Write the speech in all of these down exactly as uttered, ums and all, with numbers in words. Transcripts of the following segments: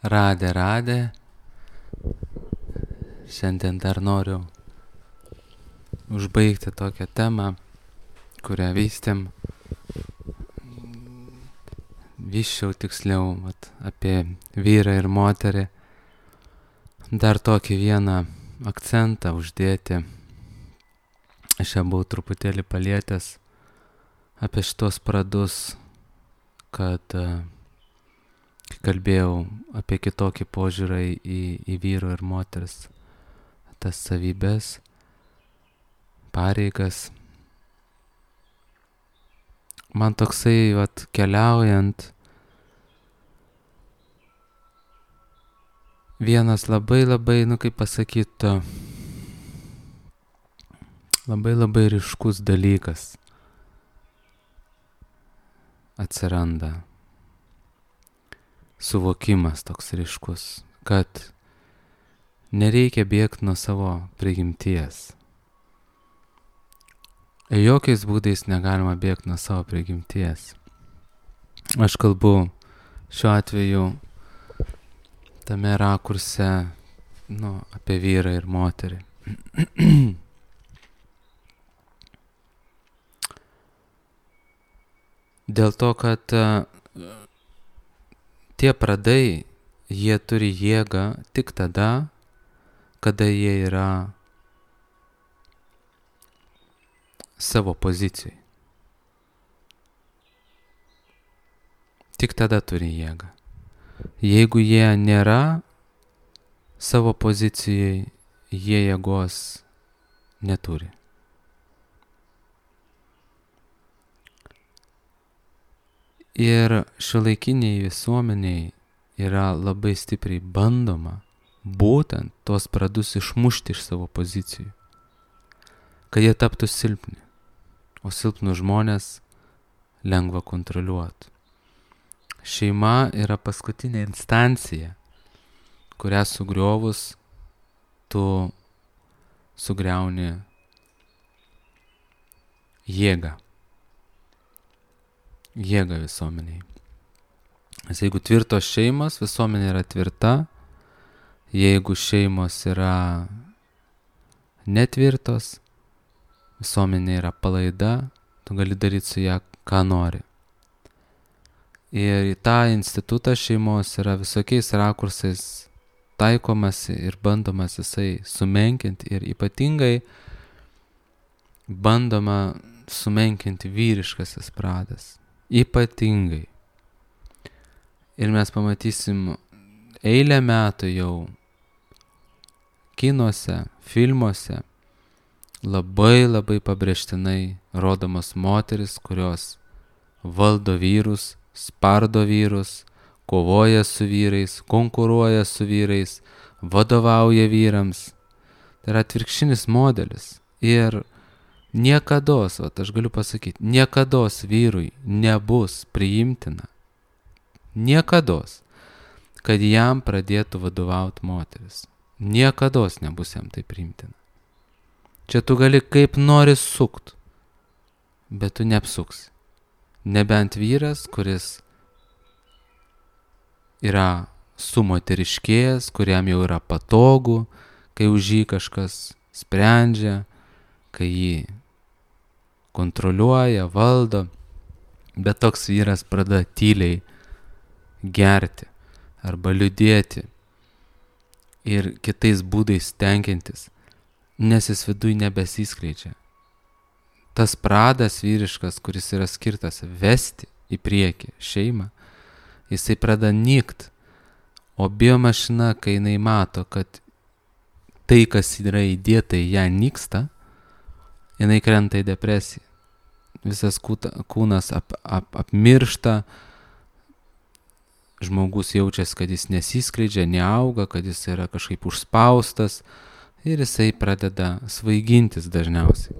Radė, radė. Šiandien dar noriu užbaigti tokią temą, kurią vystėm, vyščiau tiksliau vat, apie vyrą ir moterį. Dar tokį vieną akcentą uždėti. Aš jau buvau truputėlį palietęs apie šitos pradus, kad kai kalbėjau apie kitokį požiūrį į, į vyro ir moters tas savybės, pareigas. Man toksai, vat, keliaujant, vienas labai labai, nu kaip pasakyt, labai labai ryškus dalykas atsiranda. Suvokimas toks ryškus, kad nereikia bėgti nuo savo prigimties. Jokiais būdais negalima bėgti nuo savo prigimties. Aš kalbu šiuo atveju tame rakurse, nu, apie vyrą ir moterį. Dėl to, kad tie pradai, jie turi jėgą tik tada, kada jie yra savo pozicijai. Tik tada turi jėgą. Jeigu jie nėra savo pozicijai, jie jėgos neturi. Ir šiuolaikiniai visuomeniai yra labai stipriai bandoma būtent tos pradus išmušti iš savo pozicijų, kad jie taptų silpni, o silpnų žmonės lengva kontroliuoti. Šeima yra paskutinė instancija, kurią sugriovus tu sugriauni jėgą. Jėga visuomeniai. Nes jeigu tvirtos šeimos, visuomenė yra tvirta. Jeigu šeimos yra netvirtos, visuomenė yra palaida, tu gali daryti su ją, ką nori. Ir į tą institutą šeimos yra visokiais rakursais taikomasi ir bandomas jisai sumenkinti, ir ypatingai bandoma sumenkinti vyriškasis pradas. Ypatingai. Ir mes pamatysim eilę metų jau kinuose, filmuose labai labai pabrėžtinai rodomos moteris, kurios valdo vyrus, spardo vyrus, kovoja su vyrais, konkuruoja su vyrais, vadovauja vyrams. Tai yra atvirkštinis modelis. Ir niekados, vat, aš galiu pasakyti, niekados vyrui nebus priimtina, niekados, kad jam pradėtų vadovauti moteris. Niekados nebus jam tai priimtina. Čia tu gali kaip nori sukt, bet tu neapsuksi. Nebent vyras, kuris yra sumoteriškėjęs, kuriam jau yra patogu, kai už jį kažkas sprendžia, kai jį kontroliuoja, valdo, bet toks vyras pradeda tyliai gerti arba liūdėti ir kitais būdais tenkintis, nes jis viduj nebesiskleidžia. Tas pradas vyriškas, kuris yra skirtas vesti į priekį šeimą, jisai pradeda nykt, o biomašina, kai jinai mato, kad tai, kas yra įdėta į ją, nyksta, jinai krenta į depresiją. Visas kūnas ap, ap, apmiršta, žmogus jaučiasi, kad jis nesiskleidžia, neauga, kad jis yra kažkaip užspaustas ir jisai pradeda svaigintis dažniausiai.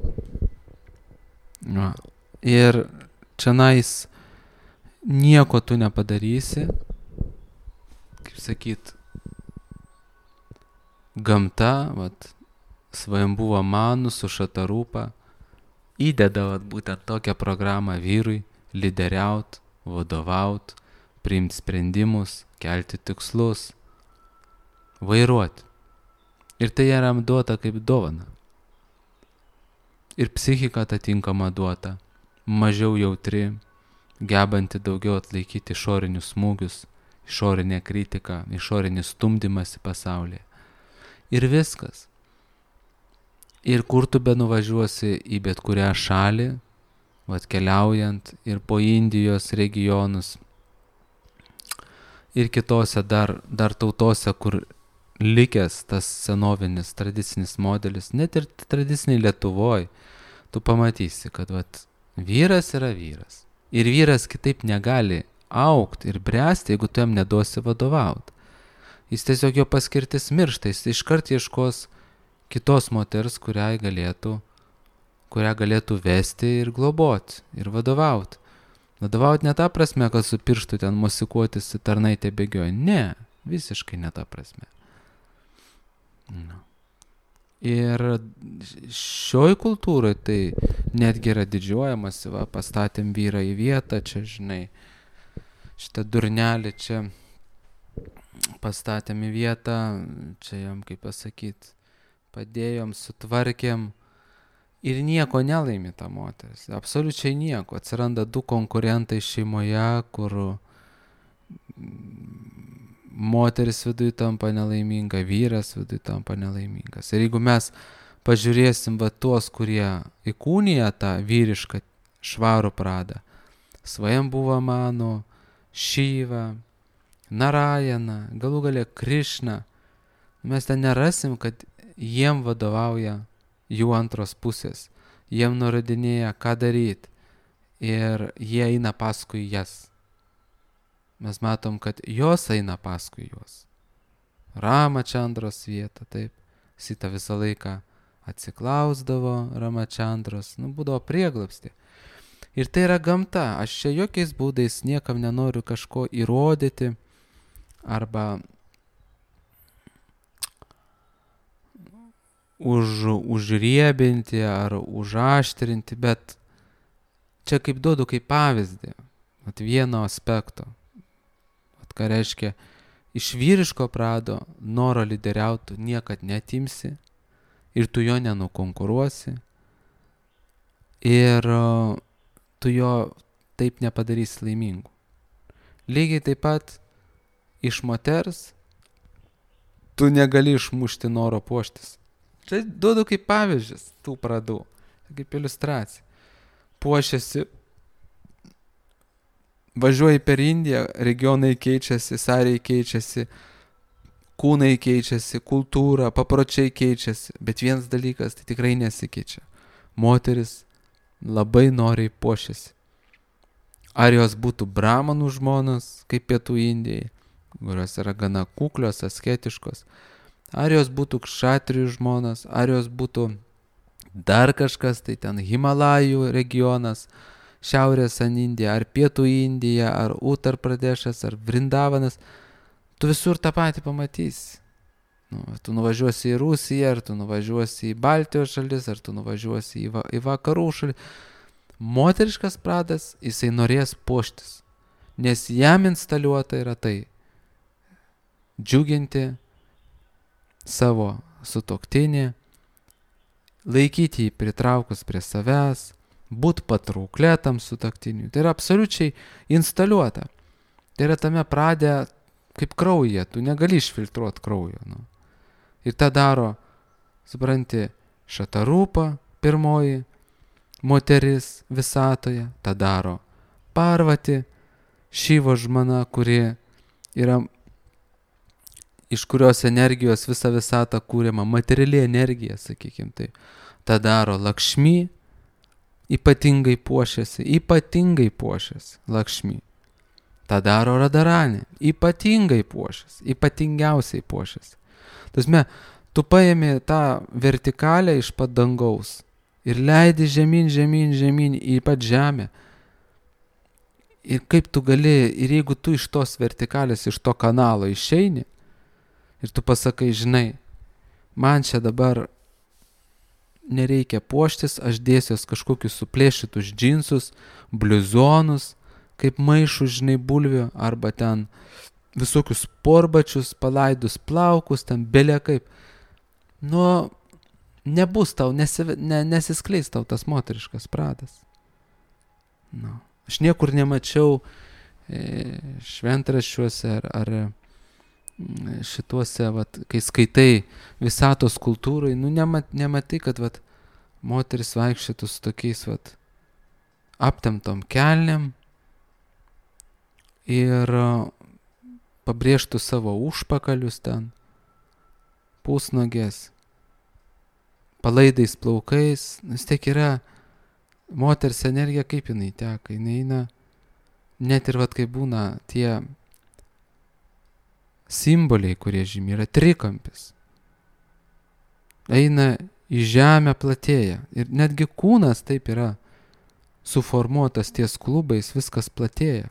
Va. Ir čionais nieko tu nepadarysi, kaip sakyt, gamta, vat, svajambuva manų su šatarūpa, įdeda vat, būtent tokią programą vyrui lyderiaut, vadovaut, priimti sprendimus, kelti tikslus, vairuoti. Ir tai jam duota kaip dovana. Ir psichika atitinkama duota, mažiau jautri, gebanti daugiau atlaikyti išorinius smūgius, išorinę kritiką, išorinį stumdymąsi pasaulyje. Ir viskas. Ir kur tu benuvažiuosi į bet kurią šalį, vat keliaujant ir po Indijos regionus, ir kitose dar, dar tautose, kur likęs tas senovinis tradicinis modelis, net ir tradiciniai Lietuvoj, tu pamatysi, kad vat, vyras yra vyras. Ir vyras kitaip negali augti ir bręsti, jeigu tu jam neduosi vadovauti. Jis tiesiog jo paskirtis miršta, jis iškart ieškos kitos moters, kurią galėtų, kurią galėtų vesti ir globoti, ir vadovauti. Vadovauti ne ta prasme, kad su pirštu ten mosikuotis į tarnaitę bėgioja. Ne, visiškai ne ta prasme. No. Ir šioj kultūrai tai netgi yra didžiuojamasi, va, pastatėm vyrą į vietą, čia, žinai, šitą durnelį čia pastatėm į vietą, čia jam, kaip pasakyti, padėjom, sutvarkėm ir nieko nelaimi ta moteris, absoliučiai nieko. Atsiranda du konkurentai šeimoje, kur moteris viduje tampa nelaiminga, vyras viduje tampa nelaimingas. Ir jeigu mes pažiūrėsim va tuos, kurie įkūnija tą vyrišką švarų pradą, Svajambuva Manu, Šyva, Narayana, galų gale Krišna, mes ten nerasim, kad jiem vadovauja jų antros pusės, jiem nurodinėja, ką daryti ir jie eina paskui jas. Mes matom, kad jos eina paskui juos. Ramačandros vieta, taip, Sita visą laiką atsiklausdavo Ramačandros, nu, būdavo prieglobstį. Ir tai yra gamta, aš čia jokiais būdais niekam nenoriu kažko įrodyti arba už, užriebinti ar užaštrinti, bet čia kaip duodu kaip pavyzdį, at vieno aspekto, at ką reiškia, iš vyriško prado noro lyderiauti niekad netimsi ir tu jo nenukonkuruosi ir tu jo taip nepadarysi laimingu. Lygiai taip pat iš moters tu negali išmušti noro puoštis. Čia duodu kaip pavyzdžius tų pradų, kaip iliustracija. Puošiasi, važiuoji per Indiją, regionai keičiasi, sariai keičiasi, kūnai keičiasi, kultūra, papročiai keičiasi, bet vienas dalykas tai tikrai nesikeičia. Moteris labai noriai puošiasi. Ar jos būtų bramanų žmonos, kaip pietų Indijai, kurios yra gana kuklios, asketiškos, ar jos būtų kšatrijų žmonos, ar jos būtų dar kažkas, tai ten Himalajų regionas, Šiaurės Indija, ar Pietų Indija, ar Uttar Pradešas, ar Vrindavanas, tu visur tą patį pamatysi. Nu, tu nuvažiuosi į Rusiją, ar tu nuvažiuosi į Baltijos šalis, ar tu nuvažiuosi į, va, į vakarų šalį. Moteriškas pradas, jisai norės puoštis, nes jam instaliuota yra tai džiuginti savo sutuoktinį, laikyti jį pritraukus prie savęs, būt patrauklėtam sutuoktiniui. Tai yra absoliučiai instaliuota. Tai yra tame pradė kaip kraujyje, tu negali išfiltruoti kraujo. Nu. Ir tą daro, supranti, Šatarūpa, pirmoji moteris visatoje, tą daro Parvati, Šyvo žmona, kuri yra, iš kurios energijos visa visata kūriama, materiali energija, sakykim tai. Ta daro Lakšmi, ypatingai puošiasi, ypatingai puošiasi Lakšmi. Ta daro Radaranė, ypatingai puošiasi, ypatingiausiai puošiasi. Tasme, tu paėmė tą vertikalę iš pat dangaus ir leidi žemyn, žemyn, žemyn į pat žemę. Ir kaip tu gali, ir jeigu tu iš tos vertikalės, iš to kanalo išeini, ir tu pasakai, žinai, man čia dabar nereikia puoštis, aš dėsiuos kažkokius suplėšytus džinsus, bliuzonus, kaip maišų, žinai, bulvių, arba ten visokius sporbačius, palaidus plaukus, ten belia kaip. Nu, nebus tau, nesi, ne, nesiskleis tau tas moteriškas pradas. Nu. Aš niekur nemačiau e, šventraščiuose ar, ar šituose, vat, kai skaitai visatos kultūrai, nu nemat, nematai, kad vat, moteris vaikščiotų su tokiais vat, aptemtom kelnėm ir pabrėžtų savo užpakalius ten, pusnogės, palaidais plaukais. Vis tiek yra moters energija, kaip jinai teka, jinai eina, net ir vat, kai būna tie simboliai, kurie žymi, yra trikampis. Eina į žemę, platėja. Ir netgi kūnas taip yra suformuotas ties klubais, viskas platėja.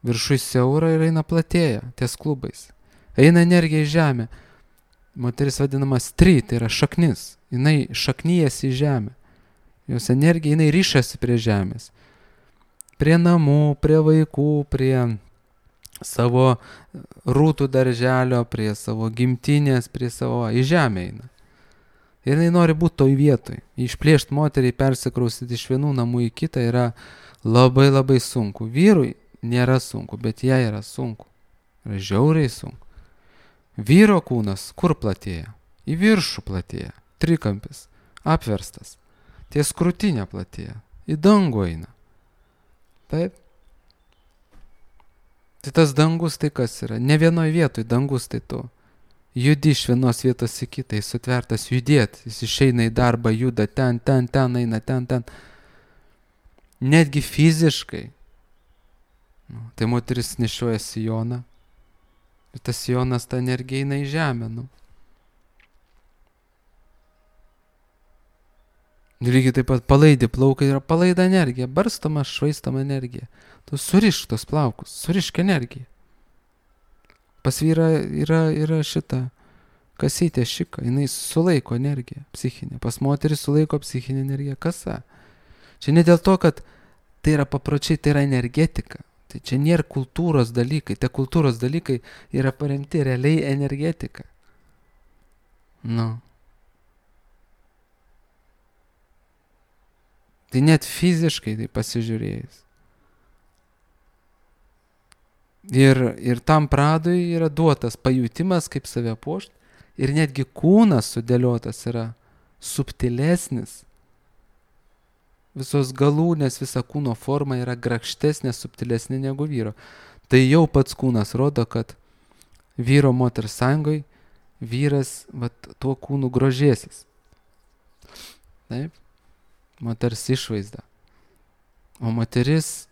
Viršui siaura ir eina platėja ties klubais. Eina energija į žemę. Moteris vadinama stry, tai yra šaknis. Jinai šaknyjasi į žemę. Jos energija, jinai ryšasi prie žemės. Prie namų, prie vaikų, prie savo rūtų darželio, prie savo gimtinės, prie savo, į žemę eina. Ir jinai nori būti toj vietoj. Išplėšt moteriai, persikraustyti iš vienų namų į kitą yra labai labai sunku. Vyrui nėra sunku, bet jai yra sunku. Yra žiauriai sunku. Vyro kūnas kur platėja? Į viršų platėja. Trikampis. Apverstas. Ties krūtinė platėja. Į dangų eina. Taip. Tai tas dangus tai kas yra? Ne vienoj vietoj dangus tai tu. Judi iš vienos vietos į kitą, jis sutvertas judėti, jis išeina į darbą, juda ten, ten, ten, eina ten, ten. Netgi fiziškai. Nu, tai moteris nešioja sijoną. Ir tas sijonas, ta energija eina į žemę. Nu. Lygiai taip pat palaidi plaukai yra palaida energija, barstama, švaistama energija. Tu surišk tos plaukus, surišk energiją. Pas vyrą yra, yra šita kasytė šika, jinai sulaiko energiją psichinę. Pas moterį sulaiko psichinę energiją kasa. Čia ne dėl to, kad tai yra papročiai, tai yra energetika. Tai čia nėra kultūros dalykai. Tie kultūros dalykai yra paremti realiai energetika. Nu. Tai net fiziškai tai pasižiūrėjus. Ir, ir tam pradui yra duotas pajutimas, kaip save puošt. Ir netgi kūnas sudėliotas yra subtilesnis. Visos galūnės, visa kūno forma yra grakštesnė, subtilesnė negu vyro. Tai jau pats kūnas rodo, kad vyro moters sąjungoj vyras vat, tuo kūnu grožėsis. Taip? Moters išvaizda. O moteris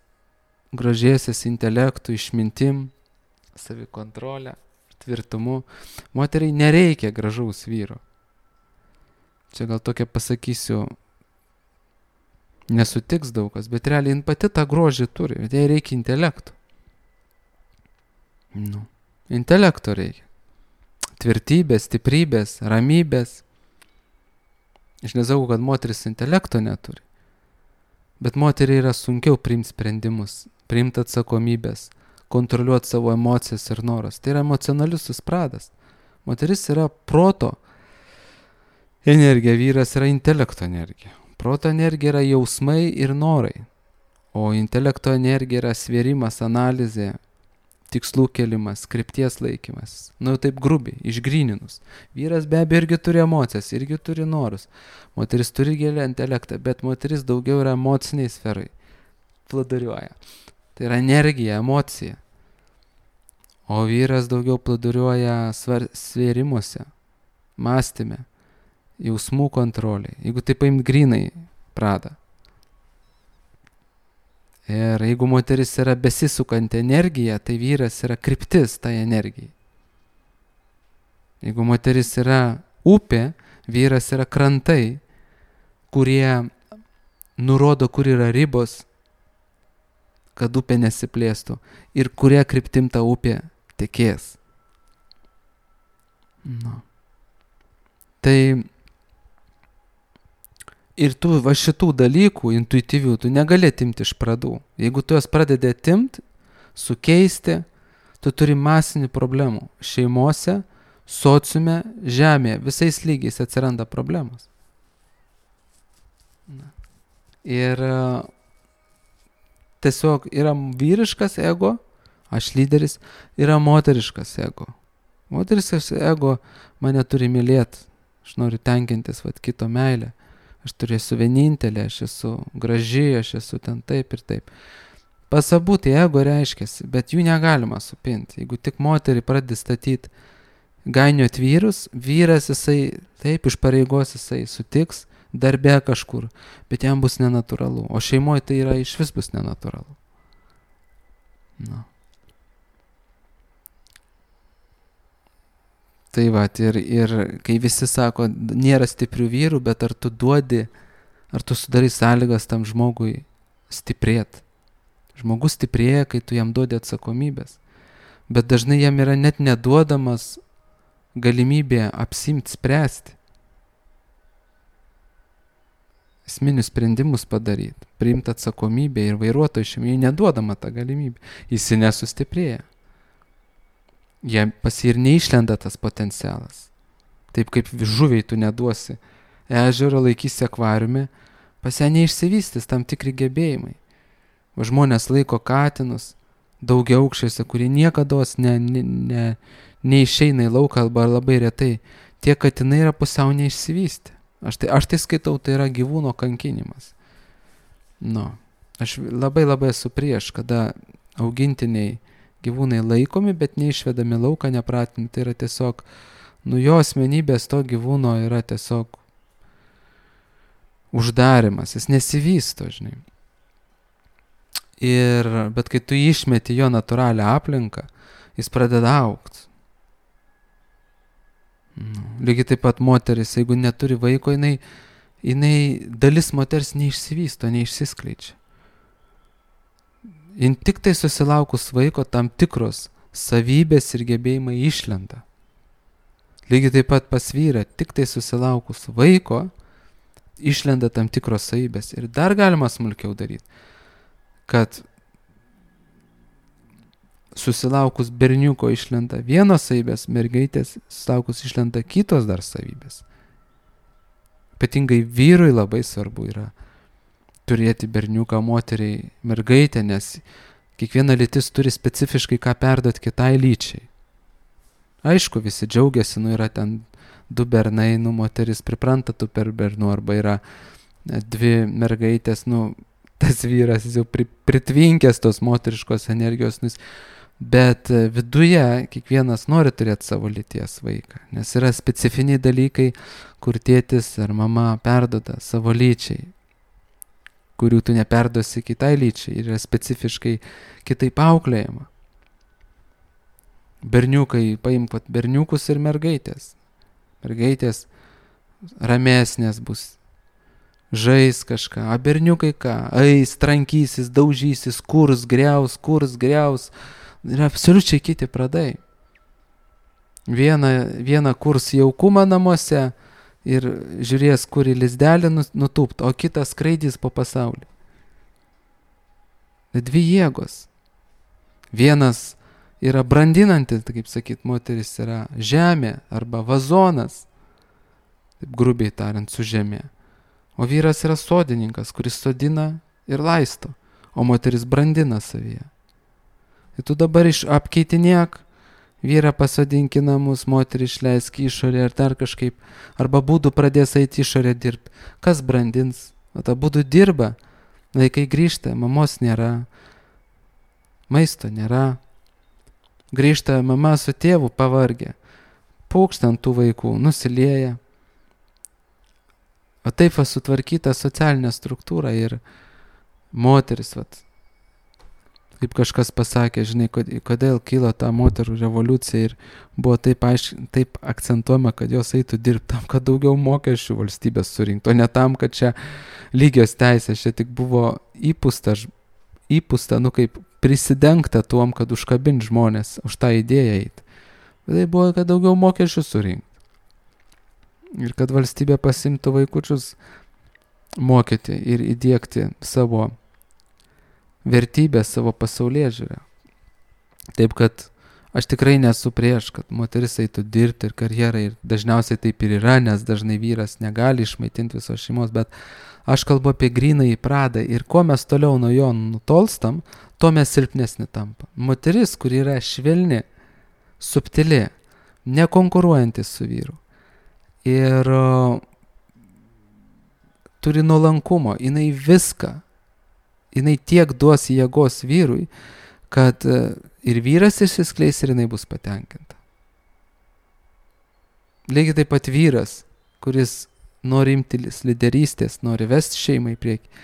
grožėsis intelektų, išmintim, savikontrolę, tvirtumu. Moteriai nereikia gražaus vyro. Čia gal tokia pasakysiu, nesutiks daugas, bet realiai jin pati tą grožį turi, bet jai reikia intelektų. Nu, intelekto reikia. Tvirtybės, stiprybės, ramybės. Aš nesakau, kad moteris intelekto neturi. Bet moteriai yra sunkiau priimti sprendimus, priimti atsakomybės, kontroliuoti savo emocijas ir noras. Tai yra emocionalius pradas. Moteris yra proto energija, vyras yra intelekto energija. Proto energija yra jausmai ir norai, o intelekto energija yra svėrimas, analizė, tikslų kelimas, krypties laikymas. Nu, taip grubiai, išgryninus. Vyras be abejo irgi turi emocijas, irgi turi norus. Moteris turi gilę intelektą, bet moteris daugiau yra emociniai sferai. Plūduriuoja. Tai yra energija, emocija. O vyras daugiau plūduriuoja svėrimuose, mąstyme, jausmų kontrolė. Jeigu taip paimt grinai pradą. Ir jeigu moteris yra besisukanti energija, tai vyras yra kryptis tai energijai. Jeigu moteris yra upė, vyras yra krantai, kurie nurodo, kur yra ribos, kad upė nesiplėstų ir kuria kryptim ta upė tekės. Nu. Tai Ir tu va šitų dalykų intuityvių tu negali atimti iš pradų. Jeigu tu jas pradedi atimti, sukeisti, tu turi masinių problemų. Šeimose, sociume, žemėje, visais lygiais atsiranda problemos. Ir tiesiog yra vyriškas ego, aš lyderis, yra moteriškas ego. Moteriškas ego mane turi mylėti, aš noriu tenkintis vat, kito meilę. Aš turiu esu vienintelė, aš esu graži, aš esu ten taip ir taip. Pas abu tai ego reiškiasi, bet jų negalima supinti. Jeigu tik moterį pradedi statyti gainiot vyrus, vyras jisai, taip, iš pareigos jisai sutiks, darbe kažkur, bet jam bus nenatūralu. O šeimoje tai yra iš vis bus nenatūralu. Na. Tai va, ir, ir kai visi sako, nėra stiprių vyrų, bet ar tu duodi, ar tu sudarai sąlygas tam žmogui stiprėti. Žmogus stiprėja, kai tu jam duodi atsakomybės. Bet dažnai jam yra net neduodamas galimybė apsimti, spręsti. Esminius sprendimus padaryti, priimti atsakomybę ir vairuotojų šeimai neduodama tą galimybę. Jis nesustiprėja. Jie pas jį ir neišlenda tas potencialas. Taip kaip žuviai tu neduosi ežero, laikysi akvariume, pas ją neišsivystys tam tikri gebėjimai. Va žmonės laiko katinus daugiaaukščiuose, kurie niekados ne, ne, ne, neišeina į lauką arba labai retai. Tie katinai yra pusiau neišsivystę. Aš tai, aš tai skaitau, tai yra gyvūno kankinimas. Nu, aš labai labai esu prieš, kada augintiniai gyvūnai laikomi, bet neišvedami lauką, nepratinti. Tai yra tiesiog, nu jo asmenybės to gyvūno yra tiesiog uždarimas, jis nesivysto, žinai. Ir, bet kai tu išmeti jo natūralią aplinką, jis pradeda augti. Nu, lygiai taip pat moteris, jeigu neturi vaiko, jinai, jinai dalis moters neišsivysto, neišsiskleidžia. Jin tik tai susilaukus vaiko tam tikros savybės ir gebėjimai išlenda. Lygiai taip pat pas vyrą, tik tai susilaukus vaiko, išlenda tam tikros savybės. Ir dar galima smulkiau daryti, kad susilaukus berniuko išlenda vienos savybės, mergaitės susilaukus išlenda kitos dar savybės. Ypatingai vyrui labai svarbu yra turėti berniuką, moteriai, mergaitę, nes kiekviena lytis turi specifiškai ką perduoti kitai lyčiai. Aišku, visi džiaugiasi, nu yra ten du bernai, nu moteris pripranta tų per bernų, arba yra dvi mergaitės, nu tas vyras jau pri, pritvinkęs tos moteriškos energijos, nu, bet viduje kiekvienas nori turėti savo lyties vaiką, nes yra specifiniai dalykai, kur tėtis ar mama perduoda savo lyčiai, kurių tu neperduosi kitai lyčiai, ir yra specifiškai kitaip auklėjama. Berniukai, paimk berniukus ir mergaitės. Mergaitės ramesnės bus, žais kažką, o berniukai ką, eis, trankysis, daužysis, kurs, greus, kurs, greus, yra absoliučiai kiti pradai. Viena, viena kurs jaukumą namuose, ir žiūrės, kur į lizdelį nutūpt, o kitas skraidys po pasaulį. Dvi jėgos. Vienas yra brandinantis, kaip sakyt, moteris yra žemė arba vazonas, taip grubiai tariant, su žemė. O vyras yra sodininkas, kuris sodina ir laisto, o moteris brandina savyje. Ir tu dabar iš apkeitinėk, vyrą pasodink į namus, moterį išleisk į išorę ar dar kažkaip, arba būdų pradės eiti išorę dirbti. Kas brandins? O ta būdų dirba, vaikai grįžta, mamos nėra, maisto nėra. Grįžta mama su tėvu pavargę, pūkšta ant tų vaikų, nusilieja. O taip va sutvarkyta socialinė struktūra ir moteris, vat, kaip kažkas pasakė, žinai, kodėl kilo ta moterų revoliucija ir buvo taip, aišk, taip akcentuojama, kad jos eitų dirbti tam, kad daugiau mokesčių valstybės surinktų, o ne tam, kad čia lygios teisės, čia tik buvo įpūsta, įpūsta, nu kaip prisidengta tuom, kad užkabint žmonės už tą idėją eiti. Bet tai buvo, kad daugiau mokesčių surinkti. Ir kad valstybė pasimtų vaikučius mokyti ir įdiegti savo vertybę, savo pasaulėžiūrę. Taip kad aš tikrai nesu prieš, kad moteris eitų dirbti ir karjerą, ir dažniausiai taip ir yra, nes dažnai vyras negali išmaitinti visos šeimos, bet aš kalbu apie grynąjį pradą ir kuo mes toliau nuo jo nutolstam, tuo mes silpnesni tampa. Moteris, kuri yra švelni, subtili, nekonkuruojantis su vyru ir uh, turi nuolankumo, jinai viską, jinai tiek duos jėgos vyrui, kad uh, ir vyras išsiskleis ir jinai bus patenkinta. Lygiai taip pat vyras, kuris nori imtis lyderystės, nori vesti šeimą į priekį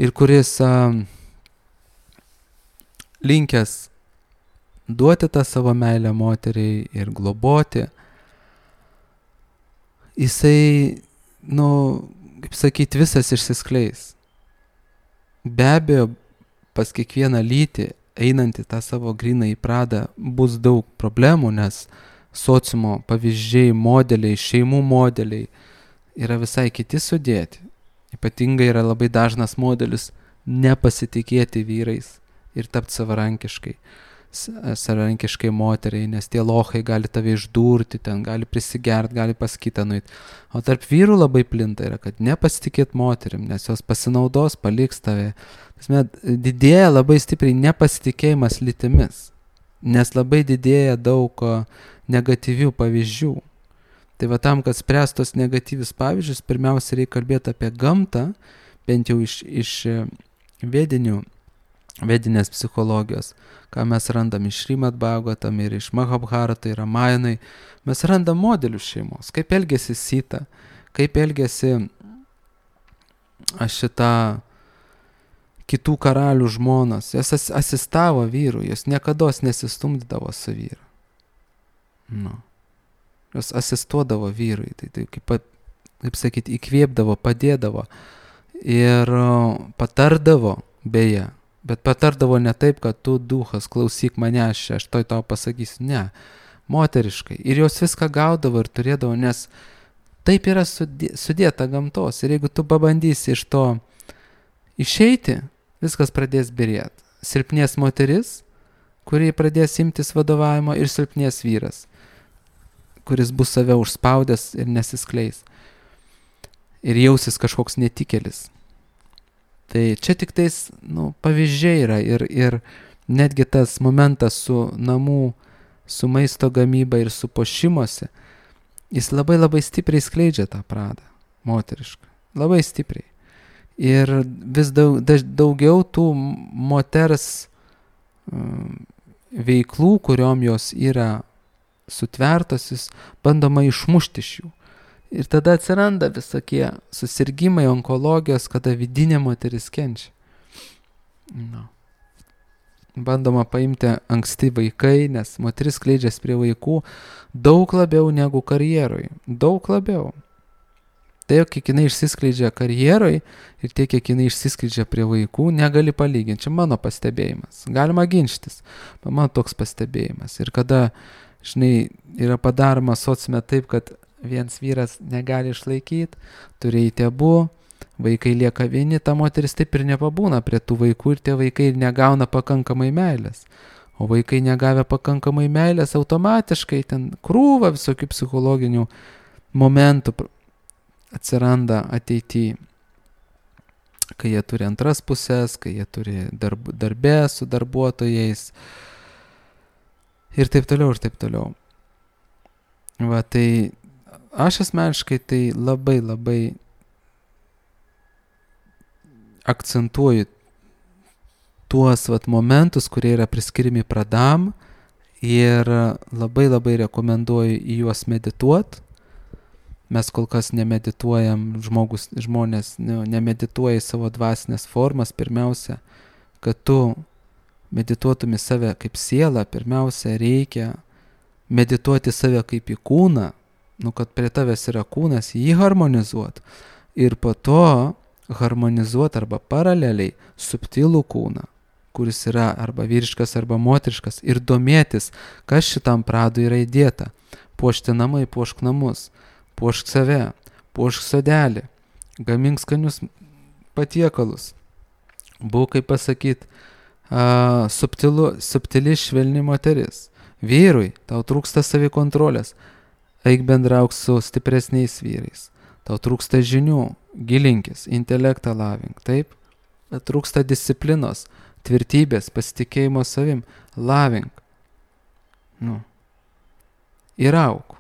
ir kuris uh, linkęs duoti tą savo meilę moteriai ir globoti, jisai, nu, kaip sakyti, visas išsiskleis. Be abejo, pas kiekvieną lytį, einant į tą savo grynąjį pradą, bus daug problemų, nes sociumo pavyzdžiai, modeliai, šeimų modeliai yra visai kiti sudėti. Ypatingai yra labai dažnas modelis nepasitikėti vyrais ir tapti savarankiškai, savarankiškai moteriai, nes tie lochai gali tave išdurti, ten gali prisigert, gali pas kitą nueit. O tarp vyrų labai plinta yra, kad nepasitikėt moterim, nes jos pasinaudos, paliks tave. Tasme, didėja labai stipriai nepasitikėjimas lytimis, nes labai didėja daug negatyvių pavyzdžių. Tai va tam, kad spręstos negatyvius pavyzdžius, pirmiausia reikia kalbėti apie gamtą, bent jau iš, iš vedinių, vedinės psichologijos, ką mes randam iš Šrimad Bhagavatam ir iš Mahabharatai, Ramajanai. Mes randam modelius šeimos, kaip elgėsi Sita, kaip elgėsi šitą kitų karalių žmonas. Jos asistavo vyrui, jos niekados nesistumdydavo su vyru. Nu. Jos asistuodavo vyrui, tai, tai kaip, kaip sakyti, įkvėpdavo, padėdavo ir patardavo, beje, bet patardavo ne taip, kad tu duhas, klausyk mane, aš, aš toj tau pasakysiu, ne, moteriškai. Ir jos viską gaudavo ir turėdavo, nes taip yra sudėta gamtos. Ir jeigu tu pabandysi iš to išeiti, viskas pradės byrėti. Silpnės moteris, kuri pradės imtis vadovavimo, ir silpnės vyras, kuris bus save užspaudęs ir nesiskleis. Ir jausis kažkoks netikėlis. Tai čia tik tais, nu, pavyzdžiai yra ir, ir netgi tas momentas su namų, su maisto gamyba ir su puošimuose, jis labai labai stipriai skleidžia tą pradą moterišką. Labai stipriai. Ir vis daug, daugiau tų moters um, veiklų, kuriom jos yra sutvertosis, bandoma išmušti iš jų. Ir tada atsiranda visokie susirgymai, onkologijos, kada vidinė moteris kenčia. No. Bandoma paimti anksti vaikai, nes moteris skleidžiasi prie vaikų daug labiau negu karjeroj. Daug labiau. Tai, kiek jinai išsiskleidžia karjeroj ir tiek, kiek jinai išsiskleidžia prie vaikų, negali palyginti. Čia mano pastebėjimas. Galima ginčytis. Mano toks pastebėjimas. Ir kada, žinai, yra padaroma sociume taip, kad viens vyras negali išlaikyti, turi eiti abu, vaikai lieka vieni, ta moteris taip ir nepabūna prie tų vaikų ir tie vaikai negauna pakankamai meilės. O vaikai negavę pakankamai meilės, automatiškai ten krūva visokių psichologinių momentų atsiranda ateityje, kai jie turi antras pusės, kai jie turi darb, darbę su darbuotojais ir taip toliau, ir taip toliau. Va, tai aš asmeniškai tai labai labai akcentuoju tuos vat momentus, kurie yra priskirimi pradam ir labai labai rekomenduoju į juos medituot. Mes kol kas nemedituojam, žmogus, žmonės ne, nemedituoja į savo dvasinės formas. Pirmiausia, kad tu medituotum į save kaip sielą, pirmiausia reikia medituoti save kaip į kūną, nu, kad prie tavęs yra kūnas, jį harmonizuot ir po to harmonizuot arba paraleliai subtilų kūną, kuris yra arba vyriškas arba moteriškas ir domėtis, kas šitam pradui yra įdėta. Puošti namai, puošk namus, puošk save, puošk sodelį, gamink skanius patiekalus. Būk, kaip pasakyt, a, subtilu, subtili švelni moteris. Vyrui, tau trūksta savikontrolės, eik bendrauk su stipresniais vyrais. Tau trūksta žinių, gilinkis, intelektą lavink, taip? Trūksta disciplinos, tvirtybės, pasitikėjimo savim, lavink. Nu. Ir auk.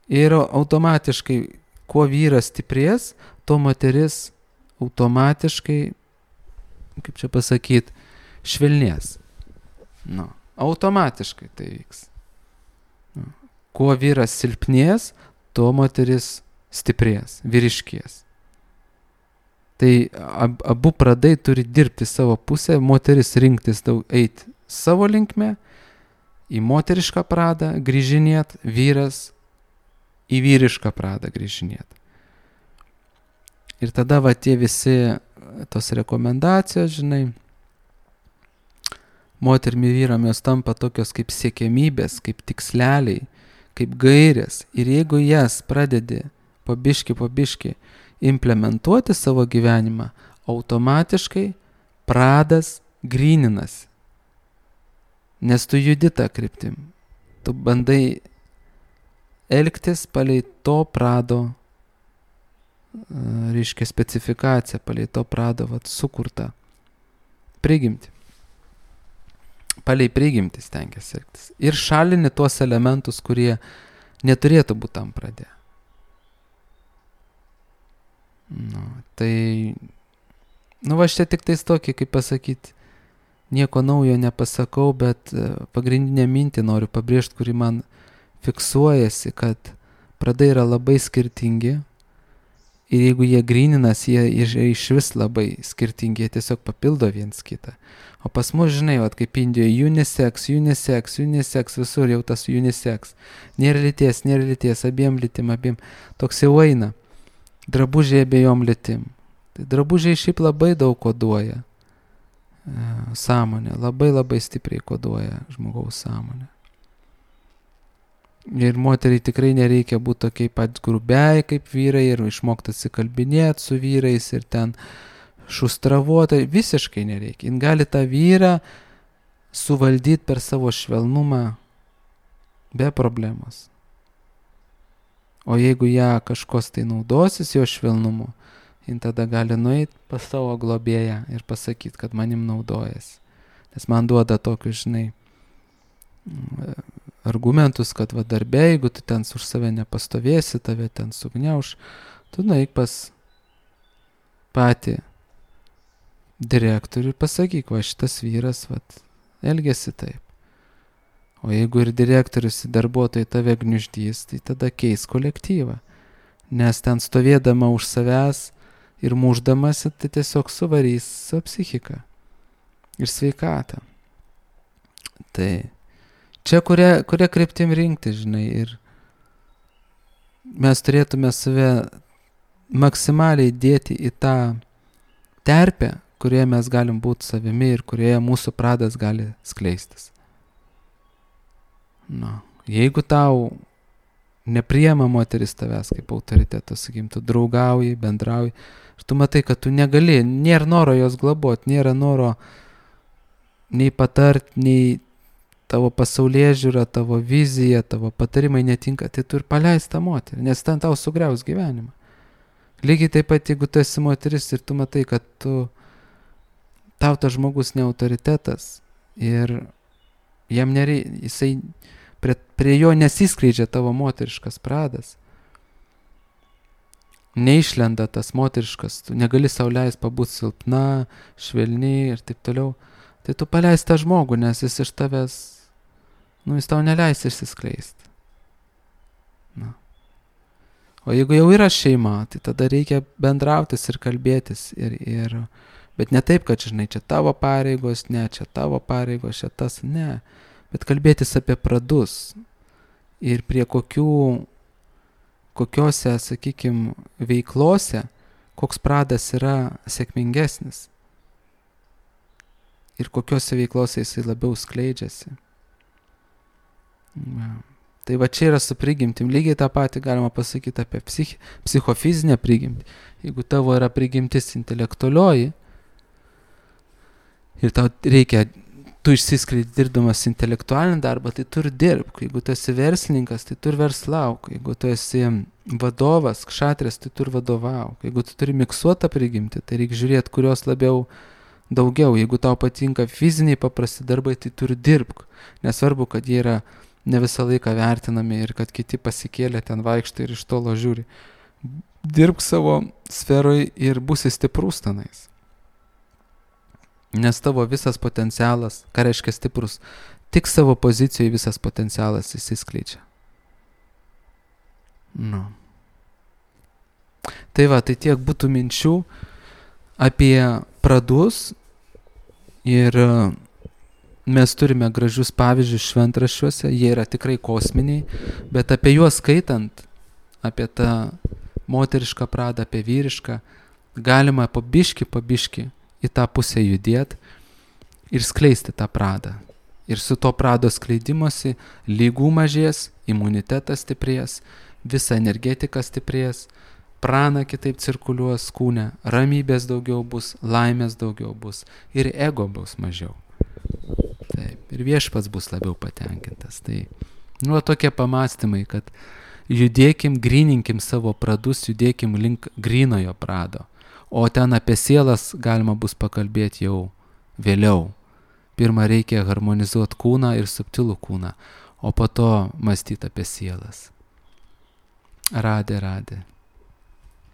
Ir automatiškai, kuo vyras stiprės, to moteris automatiškai, kaip čia pasakyt, švelnės. Nu. Automatiškai tai vyks. Nu. Kuo vyras silpnės, to moteris stiprės, vyriškės. Tai ab, abu pradai turi dirbti savo pusę, moteris rinktis daug eiti savo linkme, į moterišką pradą grįžinėt, vyras į vyrišką pradą grįžinėt. Ir tada va tie visi tos rekomendacijos, žinai, moterimi vyram jos tampa tokios kaip siekiamybės, kaip tiksleliai, kaip gairės. Ir jeigu jas pradedi po biškį, po biškį implementuoti savo gyvenimą, automatiškai pradas gryninasi. Nes tu judi tą kryptim. Tu bandai elgtis palei to prado, reiškia specifikaciją, palei to prado vat, sukurtą prigimtį. Palei prigimtį stengiasi elgtis. Ir šalini tuos elementus, kurie neturėtų būti tam pradė. Nu, tai, nu va štai tik tais tokį, kaip pasakyti, nieko naujo nepasakau, bet pagrindinę mintį noriu pabrėžti, kuri man fiksuojasi, kad pradai yra labai skirtingi ir jeigu jie gryninas, jie iš vis labai skirtingi, jie tiesiog papildo viens kitą. O pas mus, žinai, vat, kaip Indijoje, unisex, unisex, unisex, visur jau tas unisex. Nėra lyties, nėra lyties, abiem lytim, abiem. Toks jau eina. Drabužiai abiejom lytim. Tai drabužiai šiaip labai daug koduoja. Sąmonė, labai labai stipriai koduoja žmogaus sąmonę. Ir moteriai tikrai nereikia būti tokiai pat grubiai kaip vyrai ir išmokti atsikalbinėti su vyrais ir ten šustravuotai, visiškai nereikia. Jin gali tą vyrą suvaldyti per savo švelnumą be problemos. O jeigu ją kažkos tai naudosis jo švelnumu, jin tada gali nueiti pas savo globėją ir pasakyti, kad manim naudojasi. Nes man duoda tokius, žinai, argumentus, kad va darbė, jeigu tu ten už save nepastovėsi, tave ten sugniauš, tu nueik pas patį direktorių ir pasakyk, va šitas vyras vat, elgesi taip. O jeigu ir direktorius į darbuotojai tave gniuždys, tai tada keis kolektyvą. Nes ten stovėdama už savęs ir muždamasi, tai tiesiog suvarys su psichika ir sveikatą. Tai čia kuria, kuria kryptim rinkti, žinai, ir mes turėtume save maksimaliai dėti į tą terpę, kurioje mes galim būti savimi ir kurioje mūsų pradas gali skleistis. Na, jeigu tau nepriema moteris tavęs kaip autoriteto, sakykim, tu draugauji, bendrauji, ir tu matai, kad tu negali, nėra noro jos globot, nėra noro nei patart, nei tavo pasaulėžiūra, tavo vizija, tavo patarimai netinka, tai tu ir paleis tą moterį, nes ten tau sugriaus gyvenimą. Lygiai taip pat, jeigu tu esi moteris ir tu matai, kad tu, tau tas žmogus ne autoritetas ir jam nerei, jisai prie, prie jo nesiskleidžia tavo moteriškas pradas. Neišlenda tas moteriškas, tu negali sau leist pabūti silpna, švelni ir taip toliau. Tai tu paleis tą žmogų, nes jis iš tavęs, nu jis tau neleis išsiskleisti. Na. O jeigu jau yra šeima, tai tada reikia bendrautis ir kalbėtis. Ir, ir, bet ne taip, kad, žinai, čia tavo pareigos, ne, čia tavo pareigos, čia tas, ne. Bet kalbėtis apie pradus ir prie kokių, kokiose, sakykim, veiklose, koks pradas yra sėkmingesnis. Ir kokiose veiklose jisai labiau skleidžiasi. Ja. Tai va čia yra su prigimtim. Lygiai tą patį galima pasakyti apie psich, psichofizinę prigimtį. Jeigu tavo yra prigimtis intelektualioji ir tau reikia, tu išsiskleidi dirbdamas intelektualinį darbą, tai tu ir dirbk. Jeigu tu esi verslininkas, tai tu ir verslauk. Jeigu tu esi vadovas, kšatrės, tai tu ir vadovauk. Jeigu tu turi miksuotą prigimtį, tai reikia žiūrėti, kurios labiau daugiau. Jeigu tau patinka fiziniai paprasti darbai, tai tu ir dirbk. Nesvarbu, kad jie yra ne visą laiką vertinami ir kad kiti pasikėlė ten vaikštai ir iš tolo žiūri. Dirbk savo sferoj ir būsi stiprus tenais. Nes tavo visas potencialas, ką reiškia stiprus, tik savo pozicijoje visas potencialas įsiskleidžia. Nu. Tai va, tai tiek būtų minčių apie pradus ir mes turime gražius pavyzdžius šventraščiuose, jie yra tikrai kosminiai, bet apie juos skaitant, apie tą moterišką pradą, apie vyrišką, galima pabiški, pabiški į tą pusę judėti ir skleisti tą pradą. Ir su to prado skleidimosi lygų mažės, imunitetas stiprės, visa energetika stiprės, prana kitaip cirkuliuos kūne, ramybės daugiau bus, laimės daugiau bus ir ego bus mažiau. Taip, ir viešpats bus labiau patenkintas. Tai, nu, tokie pamastymai, kad judėkim, gryninkim savo pradus, judėkim link grynojo prado. O ten apie sielas galima bus pakalbėti jau vėliau. Pirma reikia harmonizuoti kūną ir subtilų kūną, o po to mąstyti apie sielas. Radė, radė.